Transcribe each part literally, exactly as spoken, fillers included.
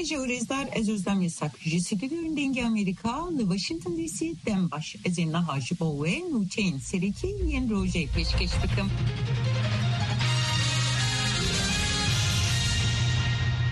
Ji û rêzdar, ez Ozlem Yasak ji Stûdyoyên Dengê Amerîka li Washington D C dem baş. Ez ê niha ji bo we nûçeyên serekî yên rojê pêşkêş bikim.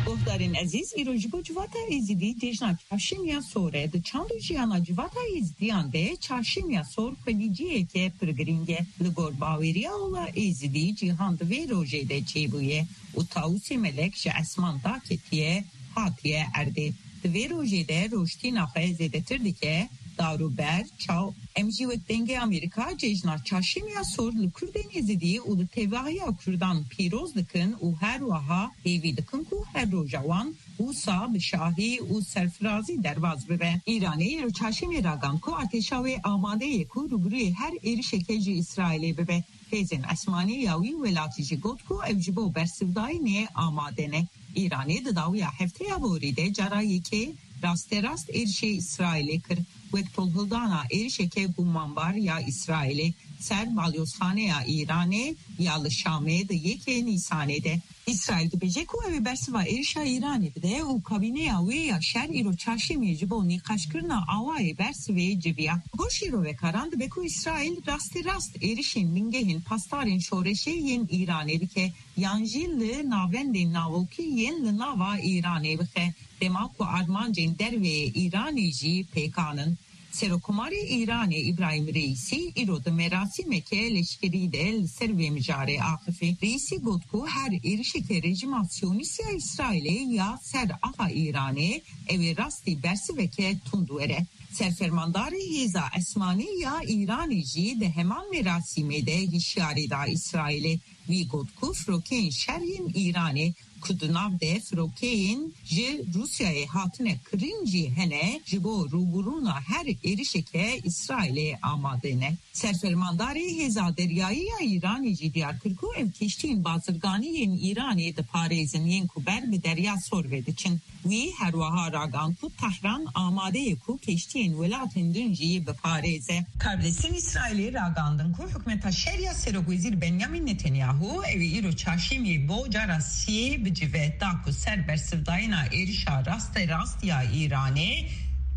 Guhdarên ezîz, îro ji bo civata Êzidî cejna Çarşemiya Sor e. Di çand û jiyana civata Êzidiyan de Çarşemiya Sor xwedî ciheke pir girîng e. Li gor baweriya ola Êzidî cîhan di vê rojê de çêbûye û tawusê melek ji esman daketiye, hatiye erdê. Di vê rojê de rojtîna xwe zêdetir dike, dar û ber, çaw. Em jî wek Dengê Amerîka cejna Çarşemiya Sor li Kurdên Êzidî û li tevahiya Kurdan pîroz dikin û her wiha hêvî dikin ku her roja wan wisa bi şahî û serfirazî derbas bibe. Îranê îro çarşemê ragand ku artêşa wê amade ye ku rûbirûyê her êrişeke ji Îsraîlê bibe. Hêzên esmanî ya wî welatî jî got ku ew ji bo bersivdayînê amade ne. Îranê di dawiya hefteya borî de cara yekê rasterast êrişê Îsraîlê kir, wek tolhildana êrişeke gumanbar ya Îsraîlê ser balyozxaneya Îranê ya li Şamê di yekê Nîsanê de. Îsraîl dibêje ku ew ê bersiva êrişa Îranê bide û kabîneya wê ya şer îro çarşemê ji bo nîqaşkirina awayê bersivê civiya. Li gor şîrovekaran dibe ku Îsraîl rasterast êrişên bingehên pasdarên şoreşê yên Îranê bike yan jî li navendên navokî yên li nava Îranê bixe, dema ku armancên derveyê Îranê jî pêkan in. Serokkomarê Îranê Îbrahîm Reîsî îro di merasîmeke leşkerî de li ser vê mijarê axifî. Reîsî got ku her êrişeke rejîma Siyonîst ya Îsraîlê ya ser axa Îranê, ew ê rastî bersiveke tund were. Serfermandarê Hêza Esmanî ya Îranê jî di heman merasîmê de hişyarî da Îsraîlê. Wî got ku firokeyên şer yên Îranê ku di nav de firokeyên ji Rûsyayê hatine kirin jî hene, ji bo rûbirûna her êrişeke Îsraîlê amade ne. Serfermandarê Hêza Deryayî ya Îranê jî diyar kir ku ew kiştiyên bazirganî yên Îranê diparêzin yên ku ber bi Derya Sor ve diçin. Wî her wiha ragand ku Tehran amade ye ku kiştiyên welatên din jî biparêze. Karbidestên Îsraîlê ragandin ku hikûmeta şer ya Serokwezîr Benyamin Netanyahu ew ê îro çarşemiyê bo cara siyê bicive, da ku ser bersivdayîna êrişa rasterast ya Îranê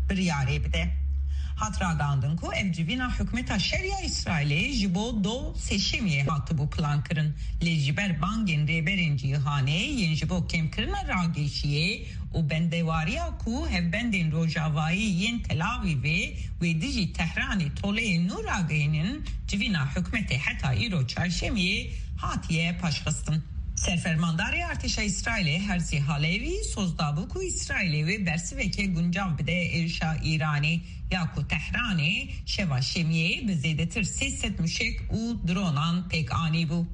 biryarê bide. Hat ragandin ku ev civîna hikûmeta şer ya Îsraîlê ji bo do sêşemiyê hatibû plankirin, lê ji ber bangên rêberên cîhanê yên ji bo kêmkirina ragêşiyê û bendewariya ku hevbendên rojavayî yên Tel Avîvê wê dijî Tehranê toleyên nû ragihînin, civîna hikûmetê heta îro çarşemiyê hatiye paşxistin. Serfermandarê artêşa Îsraîlê Herzî Halevî soz dabû ku Îsraîlê wê bersiveke guncav bide êrişa Îranê, ya ku Tehranê şeva şemiyê bi zêdetir sê sed muşek û dronan pêk anîbû.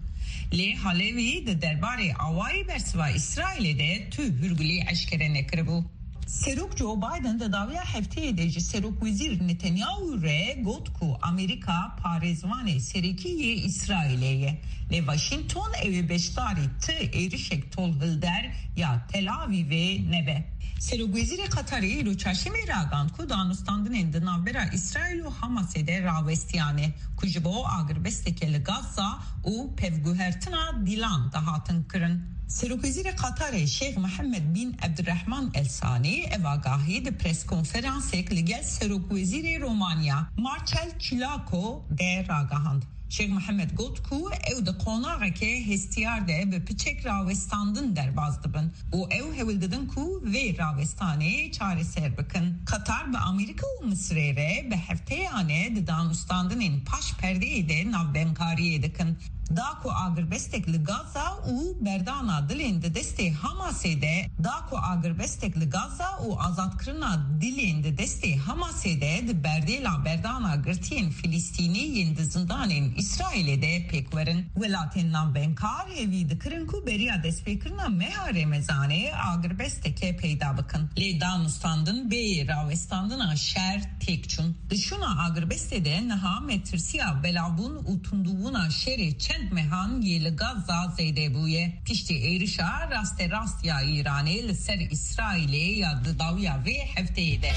Lê Halevî di derbarê awayî bersiva Îsraîlê de tu hûrgulî eşkere nekiribû. Serok Joe Biden di dawiya hefteyê de ji Serokwezîr Netanyahu re got ku Amerîka parêzvanê serekî yê Îsraîlê ye, lê Washington ew ê beşdarî ti êrişek tolhilder ya Tel Avîvê nebe. Serokwezîrê Qatarê îro çarşemê ragand ku danûstandinên di navbera Îsraîl û Hamasê de rawestiyane, ku ji bo agirbesteke li Gaza û pevguhertina dîlan dihatin kirin. Serokwezîrê Qatarê Şêx Mihemed bin Ebdirehman El Sanî ev agahî di preskonferansek li gel Serokwezîrê Romanya Marcel Ciolaco de ragihand. Şêx Mihemed got ku ew di qonaxeke hestiyar de bi piçek rawestandin derbas dibin û ew hewl didin ku vê rawestanê çareser bikin. Qatar bi Amerîka û Misirê re bi hefteyane di danûstandinên paş perdeyê de navbemkariyê dikin. Da ku agirbestek li Gaza û berdana dilên di destê Hamasê de, da ku agirbestek li Gaza û azadkirina dilên di destê Hamasê de di berdêla berdana girtiyên Filistînî yên di zindanên Îsraîlê de pêk werin. Welatên navbemkar hêvî dikirin ku beriya destpêkirina meha Remezanê agirbesteke peyda bikin. Lê danûstandin bê rawestandina şer têk çûn. Di şûna agirbestê de niha metirsiya belavbûn û tundûbûna şerê çend mehan yê li Gaza zêde bûye. Piştî êrişa rasterast ya Îranê li ser Îsraîlê ya di dawiya vê hefteyê de.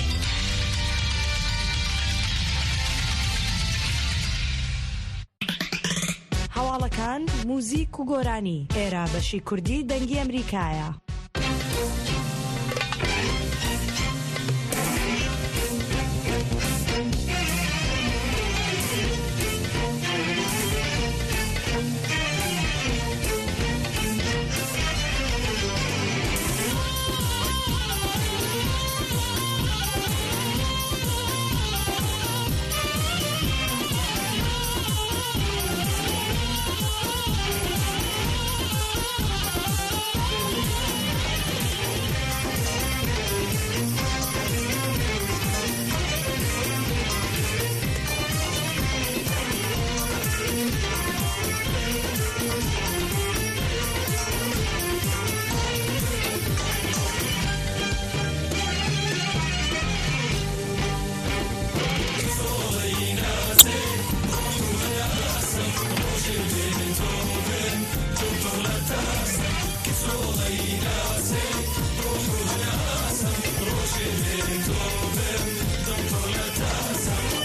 هەواڵەکان، موزیک و گۆرانی. ئێرە بەشی کوردی دەنگی ئەمریکایە.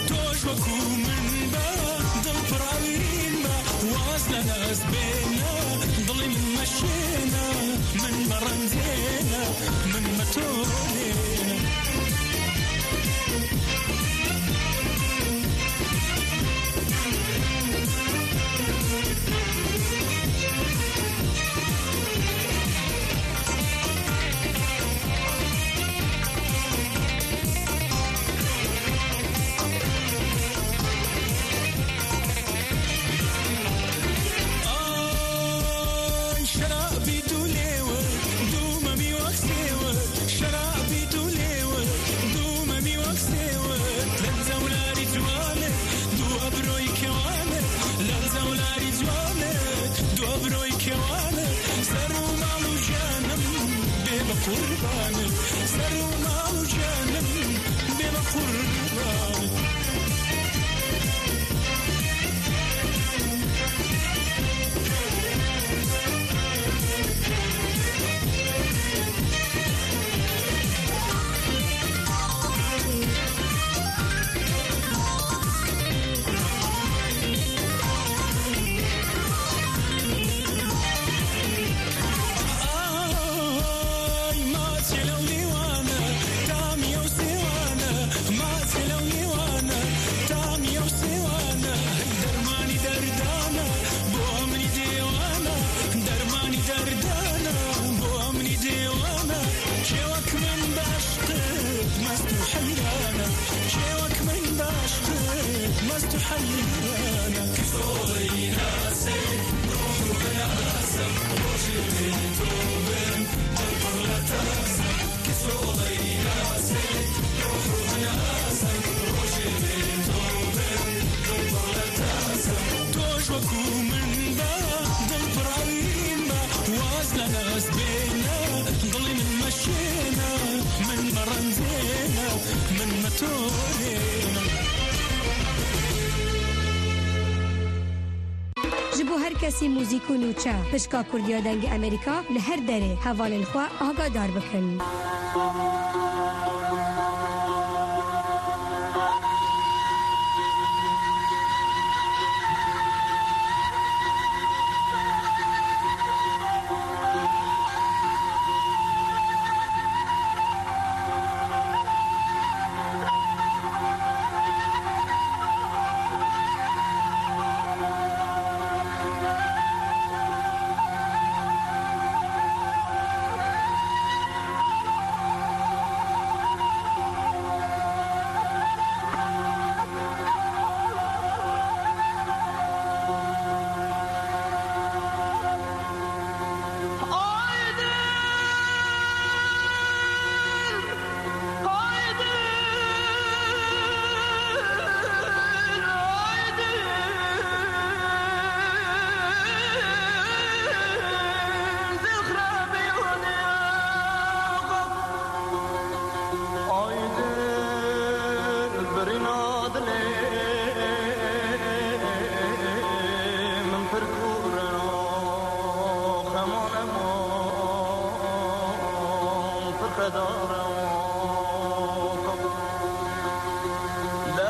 تۆش وەکو من بە، دڵ پڕاوین بە، واز لە ناز بێنە، دڵی من مەشێنە، من مەڕەندێنە، من مەتۆنێنە. ئای شەرابی دوو لێوە، دوو مەمی وەک سێوە، شەرابی دوو لێوە، دوو مەمی وەک سێوە، لەنجە و لاری جوانە، دوو ئەبرۆی کێوانە، لەنجە و لاری جوانە، دوو ئەبرۆی کێوانە، سەر و ماڵ و ژیانم بێ بە قوربانە، سەر و ماڵ و ژیانم بێ بە قوربانە. ئای ماچێ لەو نێوانە، تامی ئەو سێوانە، ماچێ لەو نێوانە، تامی ئەو سێوانە، هەی دەرمانی دەردانە، بۆ ئەمنی دێوانە، دەرمانی دەردانە، بۆ ئەمنی دێوانە، کێوەک من بەعشقت مەست و حەیرانە، کێوەک من بەعشقت مەست و حەیرانە. تۆش وەکو من بە، دڵ پڕاوین بە، واز لە ناز بێنە، دڵی من مەشێنە، من مەڕەندێنە، من مەتۆرێنە. Ji bo her kesî muzîk û nûçe, pişka Kurdiya Dengê Amerîka li her derê hevalên xwe agadar bikin. Aydin birîna dilê min pir kûr e, xemane man pir xeda.